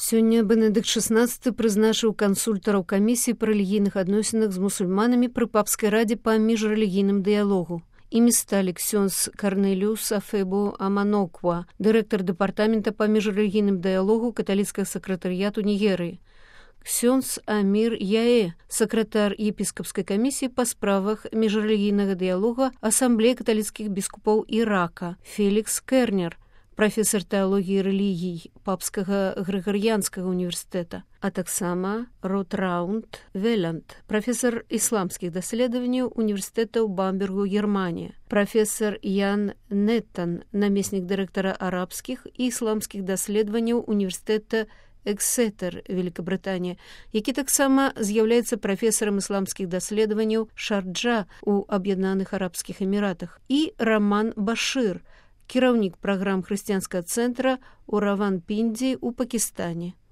Сёння Бенедыкт XVI прызначыў кансультараў камісіі па рэлігійных адносінах з мусульманамі пры папскай радзе па міжрэлігійным дыялогу. Імі сталі ксёндз Карнеліус Афебу Аманоква, дырэктар дэпартамента па міжрэлігійным дыялогу каталіцкага сакратарыяту Нігерыі, ксёндз Амір Яэ, сакратар епіскапскай камісіі па справах міжрэлігійнага дыялога асамблеі каталіцкіх біскупаў Ірака, Фелікс Кернер, прафесар тэалогіі рэлігій папскага грыгарыянскага універсітэта, а таксама Ротраунд Веланд, прафесар ісламскіх даследаванняў універсітэта ў Бамбергу, Германія, прафесар Ян Неттан, намеснік дырэктара арабскіх і ісламскіх даследаванняў універсітэта Эксетер, Великабрытанія, які таксама з'яўляецца прафесарам ісламскіх даследаванняў Шарджа ў Аб'яднаных Арабскіх Эміратах, і Раман Башыр, кіраўнік праграм хрысціянскага цэнтра ў Раванпіндзі ў Пакістане.